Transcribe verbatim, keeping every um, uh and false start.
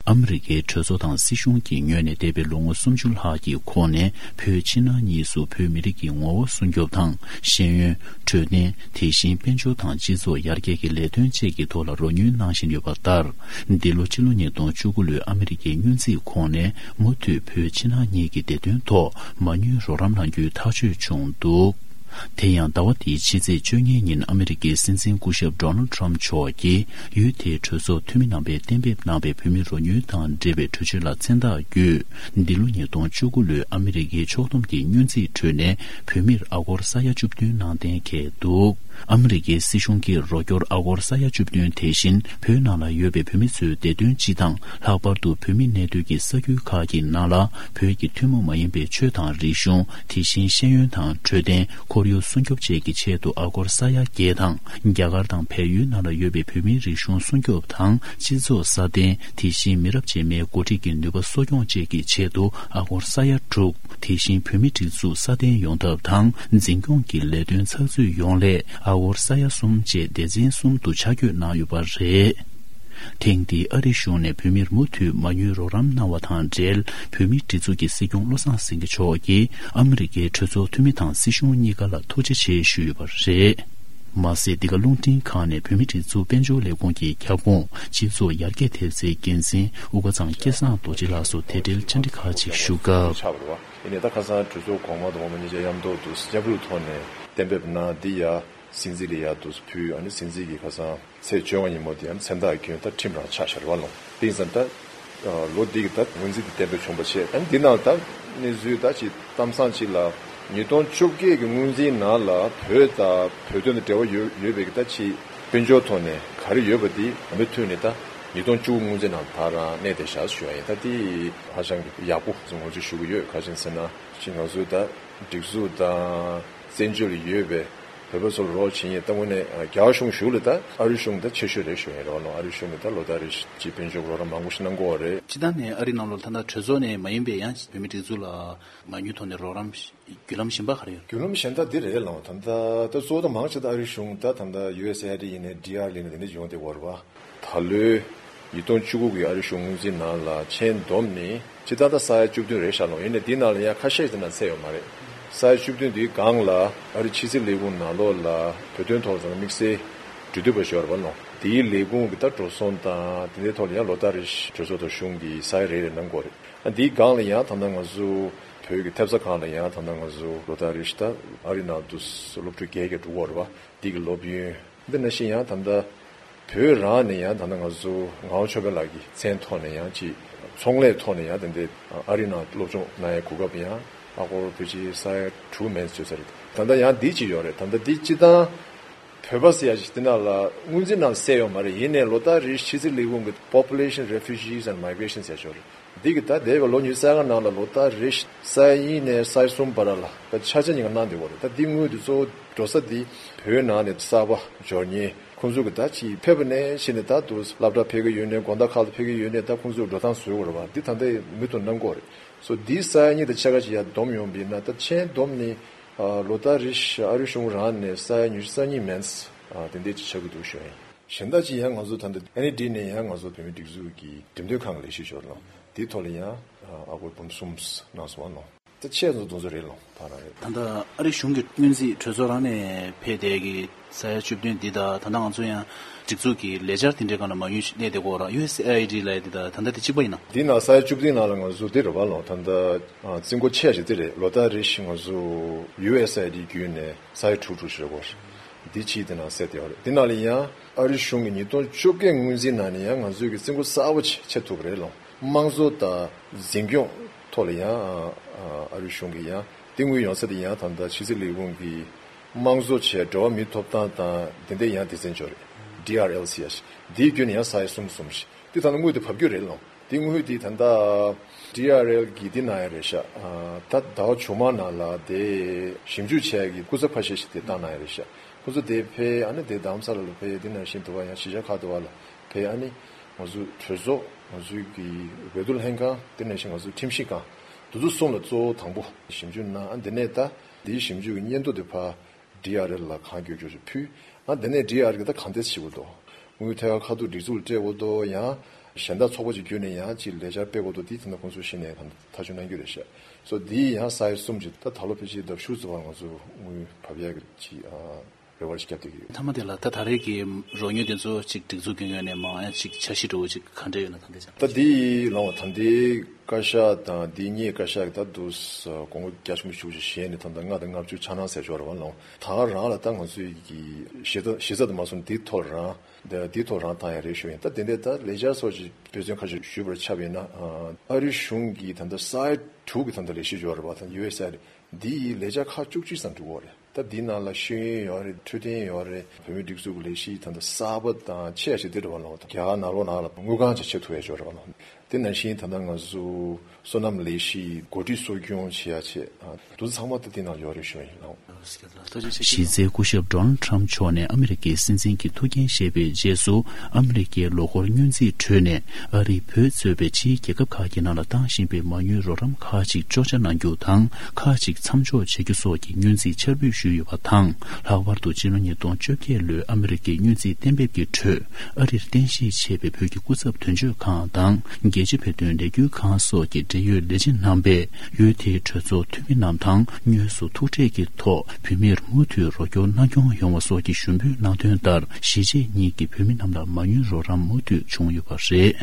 ཨ་མི་རི་ཀའི་གྲོས་ཚོགས་དང་སྲིད་གཞུང་གི་ངོས་ནས་འདས་པའི་ལོ་ངོ་སུམ་ཅུ་ལྷག་གི་གོང་ནས་བོད་ཕྱི་ནང་གཉིས་སུ་བོད་མི་རིགས་ཀྱི་ངོ་བོ་སྲུང་སྐྱོབ་དང་། ཤེས་ཡོན། འཕྲོད་བསྟེན། དེ་བཞིན་དཔལ་འབྱོར་དང་སྤྱི་ཚོགས་ཡར་རྒྱས་ཀྱི་ལས་དོན་བཅས་ཀྱི་ཐོག་ལ་རོགས་མྱོང་གནང་བཞིན་ཡོད་པ་ལྟར། འདི་ལོ་སྤྱི་ལོ་ཉིས་སྟོང་བཅུ་དགུ་ལོའི་ཨ་མི་རི་ཀའི་སྔོན་རྩིས་གོང་ནས་མུ་མཐུད་བོད་ཕྱི་ནང་གཉིས་ཀྱི་བདེ་དོན་ཐོག་མ་དངུལ་རོགས་རམ་གནང་རྒྱུའི་ཐག་གཅོད་བྱུང་འདུག་དེ་ཡང་ཟླ་བ་འདིའི་ཕྱི་ཚེས་བཅོ་ལྔའི་ཉིན་ཨ་མི་རི་ཀའི་སྲིད་འཛིན་སྐུ་ཞབས་Donald Trump་མཆོག་གིས་ཡུལ་དེའི་གྲོས་ཚོགས་འཐུས་མི་རྣམ་པས་གཏན་འབེབས་གནང་བའི་བོད་མིའི་རོགས་དངུལ་དང་འབྲེལ་བའི་གྲོས་ཆོད་ལ་མཚན་རྟགས་བརྒྱུད། འདི་ལོ་ཉིས་སྟོང་བཅུ་དགུ་ལོའི་ཨ་མི་རི་ཀའི་ཕྱོགས་བསྡོམས་ཀྱི་སྔོན་རྩིས་ཁྲོད་ནས་བོད་མིར་ཨ་སྒོར་ས་ཡ་བཅུ་བདུན་གནང་གཏན་འཁེལ་འདུག་ཨ་མི་རི་ཀའི་སྲིད་གཞུང་གིས་རོགས་སྐྱོར་ཨ་སྒོར་ས་ཡ་བཅུ་བདུན་དེ་བཞིན་བོད་ནང་ལ་ཡོད་པའི་བོད་མི་ཚོའི་བདེ་དོན་སྤྱི་དང་། ལྷག་པར་དུ་བོད་མི་གནས་སྡོད་ཀྱི་ས་ཁུལ་ཁག་གི་ནང་ལ་བོད་ཀྱི་ཐུན་མོང་མ་ཡིན་པའི་ཆོས་དང་རིག་གཞུང་། དེ་བཞིན་ཤེས་ཡོན་དང་འཕྲོད་བསྟེན། ཁོར་ཡུག་སྲུང་སྐྱོབ་བཅས་ཀྱི་ཆེད་དུ་ཨ་སྒོར་ས་ཡ་བརྒྱད་དང་། རྒྱ་གར་དང་བལ་ཡུལ་ནང་ལ་ཡོད་པའི་བོད་མིའི་རིག་གཞུང་སྲུང་སྐྱོབ་དང་སྤྱི་ཚོགས་སྲ་བརྟན། དེ་བཞིན་མི་རབས་རྗེས་མའི་འགོ་ཁྲིད་ཀྱི་ནུས་པ་གསོ་སྐྱོང་བཅས་ཀྱི་ཆེད་དུ་ཨ་སྒོར་ས་ཡ་དྲུག་དེ་བཞིན་བོད་མི་སྒྲིག་འཛུགས་སྲ་བརྟན་ཡོང་ཐབས་དང་འཛིན་སྐྱོང་གི་ལས་དོན་ཚགས་ཚུད་ཡོང་སླད་ཨ་སྒོར་ས་ཡ་གསུམ་བཅས་སྡེ་ཚན་གསུམ་དུ་ཆ་བགོས་གནང་ཡོད་པ་རེད། ཐེངས་འདིའི་ཨ་རིའི་གཞུང་ནས་བོད་མིར་མུ་མཐུད་མ་དངུལ་རོགས་རམ་གནང་བ་དང་འབྲེལ། བོད་མིའི་སྒྲིག་འཛུགས་ཀྱི་སྲིད་སྐྱོང་བློ་བཟང་སེང་གེ་མཆོག་གིས་ཨ་མི་རི་ཀའི་གྲོས་ཚོགས་འཐུས་མི་དང་སྲིད་གཞུང་གཉིས་ཀ་ལ་ཐུགས་རྗེ་ཆེ་ཞུས་ཡོད་པ་རེད། མ་ཟད། འདི་ག་རླུང་འཕྲིན་ཁང་ནས་བོད་མིའི་སྒྲིག་འཛུགས་དཔལ་འབྱོར་ལས་ཁུངས་ཀྱི་ཁྱབ་ཁོངས་སྤྱི་ཚོགས་ཡར་རྒྱས་ཐེབས་རྩའི་འགན་འཛིན་དབུ་དཀར་ཚང་སྐལ་བཟང་རྡོ་རྗེ་ལགས་སུ་དེ་འབྲེལ་བཅར་འདྲི་ཁག་ཅིག་ཞུ་སྐབས། ཡིན་ནའི་ད་ཁ་སང་གྲོས་ཚོགས་གོང་མ་དང་འོག་མ་གཉིས་ཆ་མཉམ་ཐོག་ཏུ་མཉམ་རུབ་ཐོག་ནས་གཏན་འབེབས་གནང་། འདི་ཡ་སྲིད་འཛིན་ལ་ཡ་དུས་ཕུལ། ཨ་ནི་སྲིད་འཛིན་གྱིས་ཁ་སང་ཚེས་བཅོ་ལྔ་ཉིན་མོ་དེ་ཡང་མཚན་རྟགས་བསྐྱོན། ད་ཁྲིམས་རང་ཆགས་ཤར་བ་ལོང་། དེ་ཡིན་ཙང་ད་ལོ་འདི་གི་ད་སྔོན་རྩིས་དེ་གཏན་འབེབས་བྱུང་བ་བྱས། ཨ་ནི་འདི་ནང་ད་གནས་ཚུལ་ད་ཅིག་གཏམ་བཟང་ཅིག་ལ་ཉིས་སྟོང་བཅོ་བརྒྱད་ཀྱི་སྔོན་རྩིས་ནང་ལ་བོད་དང་བོད་དོན་དང་འབྲེལ་བ་ཡོད་ཡོད་པའི་གི་ད་ཅིག་དཔལ་འབྱོར་ཐོག་ནས་ག་རེ་ཡོད་པ་དེ་མུ་མཐུད་ནས་ད་ཉིས་སྟོང་བཅུ་དགུ་སྔོན་རྩིས་ནང་ད་རང་གནས་བསྡད་བཞག་ཞུ་བ་ཡིན། ད་དེ་ཧ་ཅང་གི་ཡག་པོ་ངོས་འཛིན་ཞུ་གི་ཡོད། ག་རེ་ཟེར་ན་ཅིག་ང་ཚོའི་ད་སྒྲིག་འཛུགས་དང་བཙན་བྱོལ་ལ་ཡོད་པའི་བོད་པ་ཚོ་ལ་རོགས་བྱེད་མཁན་ད་དངོས་གནས་རྒྱ་གར་གཞུང་གཞུག་ལ་ད་ཨ་རི་གཞུང་ད་ཆེ་ཤོས་རེད་ཞུ་ཡིན་རོགས་ལོ། ཨ་རི་གཞུང་གི་ད་ལོ་ལྟར་རེ་བཞིན་དཔལ་འབྱོར་རོགས་རམ་མང་པོ་ཞིག་གནང་གི་ཡོད་རེད། སྤྱི་བཏང་ནས་ཨ་རི་ནང་ལོགས་ད་ལྟ་གྲོས་ཚོགས་ནས་མ་ཡིན་པའི་ཡང་བོད་མི་སྒྲིག་འཛུགས་ལ་མ་དངུལ་ཐོག་ནས་རོགས་རམ་བརྒྱུད་ལམ་གཞན་པ་ག་རེ་ཡོད། བརྒྱུད་ལམ་གཞན་དག་འདི་རེད་ལོ། ད་ལྟ་ད་གཙོ་བོ་ད་མང་ཆེ་ད་ཨ་རི་གཞུང་ད་ད་ལྟ་ཡུ་ཨེ་སི་ཨེ་ཨའི་ཌི་ཡིན་ནའི་ཌི་ཨར་ཨེལ་ཡིན་ནའི་དེ་འདྲ་ཡོང་བསྡད་ཡོད་རེད་བ། ད་ལོའི་ཉིས་སྟོང་བཅུ་དགུ་གི་ཨ་རི་གཞུང་སྔོན་རྩིས་ནང་ལ་མཆན་བསྡོམས་ནི་སྤྱི་བཏང་ད་ས་ཡ་བཅུ་བདུན་རེད་ཤག་ལོ། ཡིན་ནའི་འདི་ནང་ལ་ཡང་ཁ་ཤས་དེ་ནང་ཚད་ཡོད་མ་རེད། ས་ཡ་བཅུ་བདུན་འདིའི་སྒང་ལ་ཨ་རི་ཕྱི་སྲིད་ལས་ཁུངས་ནང་ལོགས་ལ་བོད་དོན་ཐོག་ལ་ཚང་མ་དམིགས་བསལ་འབྲེལ་མཐུད་པ་ཞིག་ཡོད་རེད་བ་ལོ། དེའི་ལས་ཁུངས་ཀྱི་ད་འགྲོ་སོང་དང་དེ་འདྲའི་ཐོག་ལ་ཡང་ལོ་ལྟར་རེ་བཞིན་གྲོས་ཚོགས་དང་གཞུང་གི་ས་ཡ་རེ་རེ་གནང་དགོས་རེད། ཨ་འདིའི་སྒང་ལ་ཡང་ད་ལྟ་ང་ཚོ་བོད་ཀྱི་ཐེབས་རྩ་ཁང་ལ་ཡང་ད་ལྟ་ང་ཚོ་ལོ་ལྟར་རེ་བཞིན་ད་ཨ་རི་ནང་དུ་སློབ་ཕྲུག་བརྒྱད་བརྒྱ་འགྲོ་གི་ཡོད་རེད་བ། འདི་གི་སློབ་ཡོན། འདི་ནང་བཞིན་ཡང་ད་ལྟ་བོད་རང་ནས་ཡང་ད་ལྟ་ང་ཚོ་ངག་དབང་ཆོས་འཕེལ་ལགས་ཀྱི་མཚན་ཐོག་ནས་ཡང་ཅིག་ཚོང་ལས་ཐོག་ནས་ཡང་དེ་འདྲའི་ཨ་རི་ནང་སློབ་སྦྱོང་གནང་ཡའི་གོ་སྐབས་ཡང་ཨ་སྒོར་བོད་ཕྱི་ས་ཡ་དྲུག་མན་ཙམ་ཡོད་ས་རེད། ད་ལྟ་ཡང་འདི་ཅིག་ཡོད་རེད། ད་ལྟ་འདི་སྤྱི་བཏང་བོད་པ་ཟེར་ཡ་ཞིག་འདི་ནང་ལ་སྔོན་རྩིས་ནང་གསལ་ཡོད་མ་རེད། ཡིན་ནའི་ལོ་ལྟར་རེ་ཕྱི་སྲིད་ལས་ཁུངས་ཀྱི་Population, Refugees and Migration ཟེར་ཡ་ཅིག་ཡོད་རེད། འདི་གི་ད་འདས་པའི་ལོ་ཉི་ཤུ་རྩ་ལྔ་ནང་ལ་ལོ་ལྟར་རེ་ས་ཡ་གཉིས་ནས་ས་ཡ་གསུམ་བར་ལ་ད་ཆ་ཆ་ཉིན་ག་གནང་བསྡད་ཡོད་རེད། ད་འདི་དངུལ་འདི་གཙོ་བོ་འགྲོ་ས་འདི་བོད་ནང་ནས་གསར་པ་འབྱོར་མཁན་ཁོང་ཚོ་གི་ད་ཅིག་ཕེབས་པ་ནས་ཕྱིན་ནས་ད་དུ་སློབ་གྲྭ་ཕེབས་ཀྱི་ཡོད་ནའི་དགོང་དག་ཁག་ཏུ་ཕེབས་ཀྱི་ཡོད་ནའི་ད་ཁོང་ཚོ་འགྲོ་སྟངས་བཟོ་དགོས་རེད་བ། འདི་ད་ལྟ་མུ་མཐུད་གནང་གི་ཡོད་རེད། སོ་འདི་ས་ཡ་གཉིས་དང་ཕྱེད་ཀ་ཅིག་ཡར་བསྡོམས་ཡོང་བ་ཡིན་ན་ད་མཆན་བསྡོམས་ནི་ལོ་ལྟར་རེ་བཞིན་ཨ་རི་གཞུང་རང་ནས་ས་ཡ་ཉི་ཤུ་རྩ་གཉིས་མན་དེ་འདྲས་ཅིག་ཆགས་ཀྱི་འདུག་ཞུ་ཡིན། གཞན་དག་ཅིག་ཡང་ང་ཚོ་ད་ལྟ་ཨེན་ཨི་ཌི་ནས་ཡང་ང་ཚོ་བོད་མི་སྒྲིག་འཛུགས་ཀྱི་འགྲེམས་སྟོན་ཁང་གི་ལས་གཞི་ཞོར་ལ་དེའི་ཐོག་ལ་ཡང་ཨ་སྒོར་འབུམ་གསུམ་གནང་སོང་བ་ནོ། ད་ཆེད་ཚོ་དུང་ཚོ་རེད་ལོ་ད་རང་རེད། ད་ལྟ་ཨ་རི་གཞུང་གི་སྔོན་རྩིས་གྲོས་ཚོགས་རང་ནས་ཕེབས་བསྡད་ཀྱི་ས་ཡ་བཅུ་བདུན་འདི་དང་ད་ལྟ་ང་ཚོ་ཡང་སྒྲིག་འཛུགས་ཀྱི་ལས་འཆར་དེ་འདྲའི་སྒང་ལ་མ་དངུལ་ཞིག་གནས་བསྡད་ཀྱི་ཡོད་རེད། ཡུ་ཨེ་སི་ཨེ་ཨའི་ཌི་ལབ་ཡ་འདི་དང་ད་ལྟ་དེ་གཅིག་པ་ཡིན་ན། འདི་ནང་ས་ཡ་བཅུ་བདུན་ནང་ལ་ང་ཚོ་འདི་རེད་བ་ལོ། ད་ལྟ་རྩིས་འགོ་ཆེ་ཞིག་འདི་རེད། ལོ་ལྟར་རེ་བཞིན་ང་ཚོ་ཡུ་ཨེ་སི་ཨའི་ཌི་བརྒྱུད་ནས་ས་ཡ་དྲུག་དྲུག་ཞིག་རེད་གོ། འདི་གཅིག་དེ་ནང་གསལ་བསྡད་ཡོད་རེད། འདི་ནང་ལ་ཡང་ཨ་རི་གཞུང་གི་ཉིས་སྟོང་བཅོ་བརྒྱད་སྔོན་རྩིས་ནང་ནས་ཡང་ང་ཚོས་ཀྱི་རྩིས་འགོ་གསར་པ་ཅིག་ཕྱེ་ཐུབ་པ་རེད་ལོ། དམངས་གཙོ་དང་འཛིན་སྐྱོང་ཐོག་ལ་ཡང་ཨ་རི་གཞུང་གིས་ཡང་དེ་དངུལ་ཡོང་ས་དེ་ཡང་ད་ལྟ་ཕྱི་སྲིད་ལས་ཁུངས་ཀྱི་དམངས་གཙོ་བཅས་འགྲོ་བ་མིའི་ཐོབ་ཐང་དང་དེ་འདྲའི་ཡང་སྡེ་ཚན་ཅིག་ཡོད་རེད། ཌི་ཨར་ཨེལ་ཟེར་ཡ་ཞིག་འདིའི་བརྒྱུད་ནས་ཡང་ས་ཡ་གསུམ་གསུམ་ཞིག་དེ་ད་ལྟ་དངུལ་དེ་བབས་རྒྱུ་རེད་ལོ། དེ་དངུལ་དེ་ད་ལྟ་ཌི་ཨར་ཨེལ་གྱིས་དེ་གནང་ཡ་རེད་ཤག་ཨ་ད་ཟླ་བ་བྱུང་མ་ནང་ལ་དེ་ཞིབ་འཇུག་བྱས་ཀྱི་སྐུ་ཚབ་ཁ་ཤས་ཤིག་དེ་བཏང་གནང་ཡ་རེད་ཤག་ཁོ་ཚོ་དེ་ཕེབས་ཨ་ནི་དེ་རྡ་རམ་ས་ལ་ལ་ཕེབས། དེ་ནང་བཞིན་དུ་བ་ཡང་གཞིས་ཆགས་ཁག་ཏུ་བ་ལ་ཕེབས། ཨ་ནི་ང་ཚོའི་གྲོས་ཚོགས་ང་ཚོའི་གི་འོས་བསྡུ་ལྷན་ཁང་དེ་ནང་བཞིན་ང་ཚོའི་ཁྲིམས་ཞིབ་ཁང་དེ་ཚོ་གསུམ་ལ་གཙོ་བོ་དང་པོ་ཞིབ་འཇུག་གནང་། ཨ་དེ་ནས་ད་དེའི་ཞིབ་འཇུག་གི་སྙན་ཐོ་དེ་ཕར་ཌི་ཨར་ཨེལ་ལ་གང་མགྱོགས་མགྱོགས་ཕུལ། ཨ་དེ་ནས་ཌི་ཨར་གི་ད་གང་ཐད་བྱེད་དགོས་འདུག་དངུལ་ཐད་ཀར་ཁ་ཐུག་སྒྲིག་འཛུགས་ལ་སྤྲད་དགོས་འདུག་ཡང་ གཞན་དག་ཚོགས་པ་ཅིག་བརྒྱུད་ནས་ཡང་ཅིག་ལས་འཆར་སྤེལ་དགོས་འདུག་དེ་ད་ལྟ་ཁོང་ཚོ་ཤེས་ནས་ད་ཐག་གཅོད་གནང་རྒྱུ་རེད་ཤག་སོ་འདི་ཡང་ས་ཡ་གསུམ་ཅིག་ད་ད་ལོ་ཕལ་ཆེར་ལྡབ་བཞི་ཙམ་བར་ང་ཚོ་དངུལ་བབས་ཡག་གི་ཅིག་ཨ་རེ་བ་ཞིག་བརྒྱབ་བསྡད་ཀྱི་ཡོད། མཐའ་མ་དེ་ལ་ད་ད་རེས་ཀྱི་རོགས་དངུལ་དེ་ཚོ་ཅིག་སྒྲིག་འཛུགས་ཀྱི་ངོས་ནས་མང་ཡང་ཅིག་འཆར་གཞི་འདྲ་བོ་ཅིག་ག་འདྲ་ཡོད་ན་ད་འདི་ཅང་། ད་འདི་ལོང་ད་ལྟའི་བཀའ་ཤག་དང་འདི་གཉིས་བཀའ་ཤག་གི་ད་དུ་ས་དགོངས་པ་རྒྱ་ཆེན་པོ་ཞེ་པོ་ཅིག་བཞེས་ནས་ད་ལྟ་ལྔ་དང་ལྔ་བཅུ་ཆ་ནང་ཟེར་ཞོར་རེད་བ་ལོང་ད་ག་རང་ལ་ད་ང་ཚོའི་གི་གཞི་རྩ་གཞི་རྩ་དུ་མ་སོང་འདི་ཐོག་རང་འདི་འདི་ཐོག་རང་བཏང་ཡ་རེད་ཞུ་ཡིན། ད་དེ་འདྲའི་ད་ལས་འཆར་སོགས་ཀྱི་དཔེ་མཚོན་ཁ་ཤས་ཞུས་པར་ཆ་བཞག་ན་ཨ་རི་གཞུང་གི་ད་ལྟ་ས་ཡ་དྲུག་གི་ད་ལྟ་ལས་གཞི་ཡོད་རེད་བ་ད་ཡུ་ཨེས་ཨེ་རེད། འདི་ཡི་ལས་འཆར་ཁག་བཅུ་གཅིག་ཙམ་འགྲོ་གི་ཡོད་རེད། ད་འདི་ནང་ལ་ཤེས་ཡོན་ཡོད་རེད། འཕྲོད་བསྟེན་ཡོད་རེད། བོད་མིའི་སྒྲིག་འཛུགས་ཀྱི་ལས་གཞི་ད་ལྟ་གསར་པ་དང་ཆེ་བ་ཞིག་འདི་འདྲ་བ་ལ་རྒྱ་གར་ནང་ལོགས་ནང་ལ་དངུལ་ཁང་ཅིག་ཆེད་ཐུག་ཡ་ཅིག་ཡོད་རེད་བ་ལ། དེ་ནང་བཞིན་ད་ལྟ་ང་ཚོ་སོ་ནམ་ལས་གཞི་འགོ་ཁྲིད་གསོ་སྐྱོང་བྱེད་ཡ་ཆེད་དུ་ཚང་མ་ད་འདི་ནང་ཡོད་རེད་ཞུ་ཡ་ཡིན་ལགས། གཞི་རྩའི་སྐུ་ཞབས་Donald Trump་མཆོག་ནས་ཨ་མི་རི་ཀའི་སྲིད་འཛིན་གྱི་ཐུགས་འགན་བཞེས་པའི་རྗེས་སུ། ཨ་མི་རི་ཀའི་ལོ་འཁོར་སྔོན་རྩིས་ཁྲོད་ནས་ཨ་རིས་བོད་གཙོས་པའི་ཕྱིའི་རྒྱལ་ཁབ་ཁག་གི་ནང་ལ་བཏང་བཞིན་པའི་མ་དངུལ་རོགས་རམ་ཁག་ཅིག་གཅོག་ཆ་གནང་རྒྱུ་དང་། ཁག་ཅིག་མཚམས་འཇོག་བྱེད་རྒྱུ་སོགས་ཀྱི་སྔོན་རྩིས་འཆར་འབུལ་ཞུས་ཡོད་པ་དང་། ལྷག་པར་དུ་སྤྱི་ལོ་ཉིས་སྟོང་བཅོ་བརྒྱད་ལོའི་ཨ་མི་རི་ཀའི་སྔོན་རྩིས་གཏན་འབེབས་ཀྱི་ཁྲོད། ཨ་རིར་རྟེན་གཞི་བྱས་པའི་བོད་ཀྱི་སྐུ་ཚབ་དོན་གཅོད་ཁང་དང་། རྒྱལ་སྤྱི་བོད་དོན་ལས་འགུལ་ཁང་སོགས་ཀྱི་འབྲེལ་ཡོད་ལས་བྱེད་རྣམ་པས། ཡུལ་དེའི་གྲོས་ཚོགས་འཐུས་མི་རྣམས་དང་དངོས་སུ་ཐུག་འཕྲད་ཀྱི་ཐོག་བོད་མིར་མུ་མཐུད་རོགས་སྐྱོར་གནང་སྐྱོང་ཡོང་བ་སོགས་ཀྱི་ཞུ་འབོད་གནང་དོན་ལྟར། གཞིས་བྱེས་གཉིས་ཀྱི་བོད་མི་རྣམས་ལ་མ་དངུལ་རོགས་རམ་མུ་མཐུད་བྱུང་ཡོད་པ་རེད།